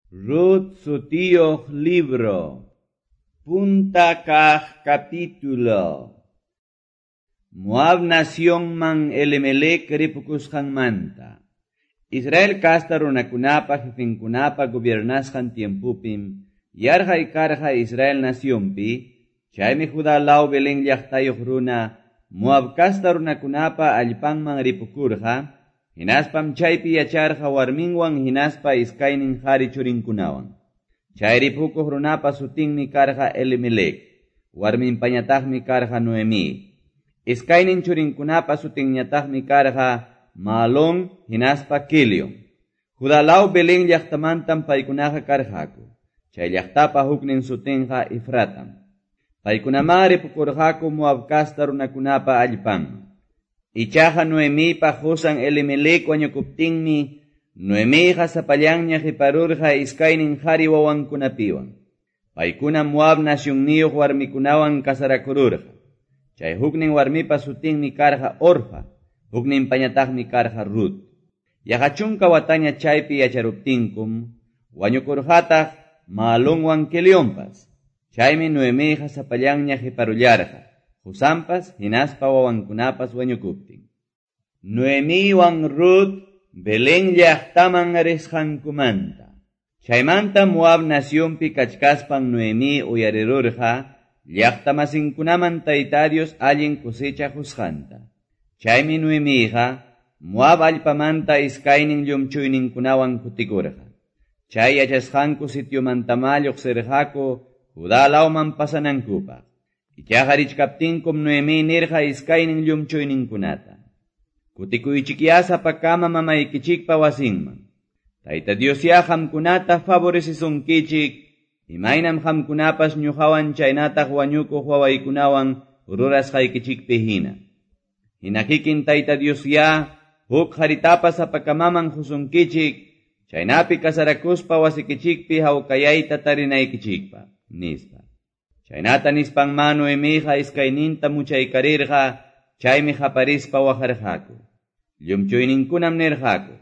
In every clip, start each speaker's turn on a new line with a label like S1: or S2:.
S1: Rut sutiyuq libro. Punta kaq capítulo. Moab nacionman Elimelec ripukusqanmanta. Israel kasta runakunapa jefenkunapa gobiernasqan tiempupim yarqay karqa Israel nacionpi, chaymi Judá law Belén llaqtayuq runa Moab kasta runakunapa allpanman ripukurqa, hinaspam chaypi yacharqa warminwan hinaspa iskaynin qhari churinkunawan. Chay ripukuq runapa sutinmi karqa Elimelec, warminpañataqmi karqa Noemí. Iskaynin churinkunapa sutinñataqmi karqa Maalón hinaspa Quilion. Judá law Belén llaqtamantam paykunaqa karqaku. Chay llaqtapa huknin sutinqa Efratam. Paykunamá ripukurqaku Moab kasta runakunapa allpanman. Ichaqa Noemipa qusan Elimelec wañukuptinmi, Noemiqa sapallanña qiparurqa iskaynin qhari wawankunapiwan. Paykuna Moab nacionniyuq warmikunawan kasarakururqa. Chay huknin warmipa sutinmi karqa Orfa, hukninpañataqmi karqa Rut. Yaqa chunka wataña chaypi yacharuptinkum, wañukurqataq Maalonwan Quelionpas. Chaymi Noemiqa sapallanña qiparullarqa, qusanpas hinaspa wawankunapas wañukuptin. Noemiwan Rut Belén llaqtaman risqankumanta. Chaymanta Moab nacionpi kachkaspan Noemí uyarirurqa llaqtamasinkunaman Tayta Dios allin cosecha qusqanta. Chaymi Noemiqa Moab allpamanta iskaynin llumchuyninkunawan kutikurqa. Chay yachasqanku sitiomantamá lluqsirqaku Judá lawman pasanankupaq. Ichaqa richkaptinkum Noemí nirqa iskaynin llumchuyninkunata: Kutikuychikyá sapakama mamaykichikpa wasinman. Tayta Diosyá qamkunata favorecisunkichik, imaynam qamkunapas ñuqawan chaynataq wañukuq wawaykunawan rurasqaykichikpi hina. Hina kikin Tayta Diosyá huk qharitapas sapakamaman qusunkichik, chaynapi kasarakuspa wasikichikpi hawkayayta tarinaykichikpaq, nispa. Chaynata nispanmá Noemiqa iskayninta muchaykarirqa, chaymi qaparispa waqarqaku. Llumchuyninkunam nirqaku: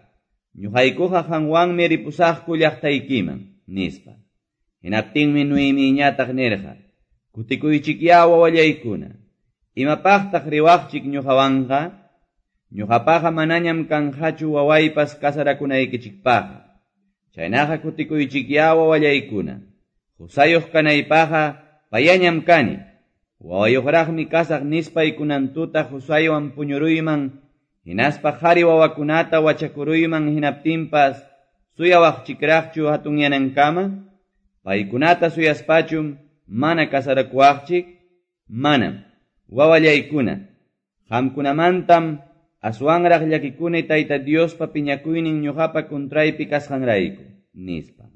S1: Ñuqaykuqa qanwanmi ripusaqku llaqtaykiman, nispa. Hinaptinmi Noemiñataq nirqa: Kutikuychikyá wawallaykuna. Imapaqtaq riwaqchik ñuqawanqa? Ñuqapaqa manañam kanqachu wawaypas kasarakunaykichikpaqqa. Chaynaqa kutikuychikyá wawallaykuna. Qusayuq kanaypaqqa payañam kani. Wawayuqraqmi kasaq nispay kunan tuta qusaywan puñuruyman, hinaspa qhari wawakunata wachakuruyman hinaptinpas suyawaqchikraqchu hatunyanankama? Paykunata suyaspachum mana kasarakuwaqchik? Manam. Wawallaykuna, qamkunamantam aswanraq llakikuni Tayta Diospa piñakuynin ñuqapa kuntraypi kasqanrayku, nispa.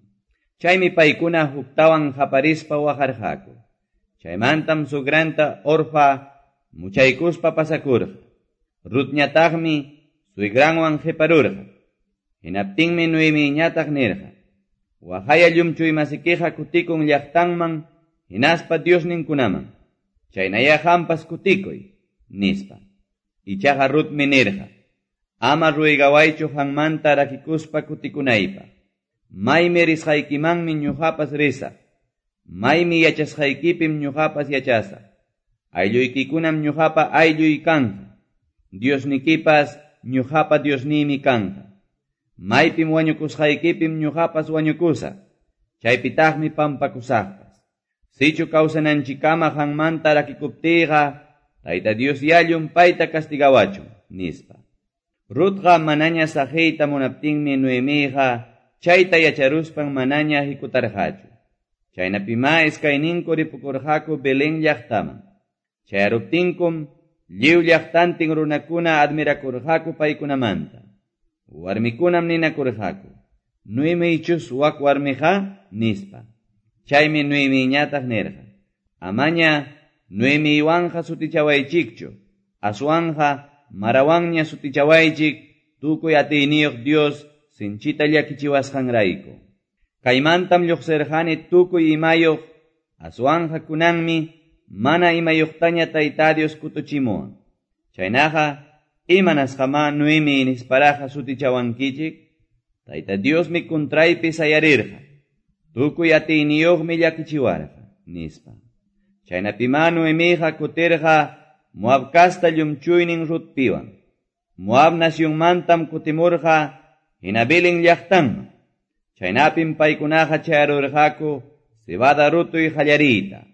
S1: Chaymi paykuna huktawan qaparispa waqarqaku. Chaymantam sugranta Orfa muchaykuspa pasakurqa. Rutñataqmi suegranwan qiparurqa. Hinaptinmi Noemiñataq nirqa: Waqaya llumchuymasikiqa kutikun llaqtanman hinaspa diosninkunaman. Chaynayá qampas kutikuy, nispa. Ichaqa Rutmi nirqa: Ama ruygawaychu qanmanta rakikuspa kutikunaypaq. Maymi risqaykimanmi ñuqapas risaq. Maymi yachasqaykipim ñuqapas yachasaq. Aylluykikunam ñuqapa aylluy kanqa. Diosnikipas ñuqapa Diosniymi kanqa. Maypim wañukusqaykipim ñuqapas wañukusaq. Chaypitaqmi pampakusaqpas. Sichu kawsananchikkama qanmanta rakikuptiyqa, Tayta Dios ya llumpayta castigawachun, nispa. Rutqa manaña saqiyta munaptinmi Noemiqa chayta yacharuspan manaña hikutarqachu. Chaynapimá iskayninku ripukurqaku Belén llaqtaman. Chayaruptinkum lliw llaqtantin runakuna admirakurqaku paykunamanta. Warmikunam ninakurqaku: Noemichus wak warmiqa, nispa. Chaymi Noemiñataq nirqa: Amaña Noemiwanqa sutichawaychikchu, aswanqa Marawanña sutichawaychik, tukuy atiyniyuq Dios sinchita llakichiwasqanrayku. Kaymantam lluqsirqani tukuy imayuq, aswanqa kunanmi mana imayuqtaña Tayta Dios kutuchimuwan. Chaynaqa imanasqamá Noemi nisparaqa sutichawankichik? Tayta Diosmi kuntraypi sayarirqa. Tukuy atiyniyuqmi llakichiwarqa, nispa. Chaynapimá Noemiqa kutirqa Moab casta llumchuynin Rutpiwan. Moab nacionmantam kutimurqa hina Belén llaqtanman. Chaynapim paykunaqa chayarurqaku cebada rutuy qallariyta.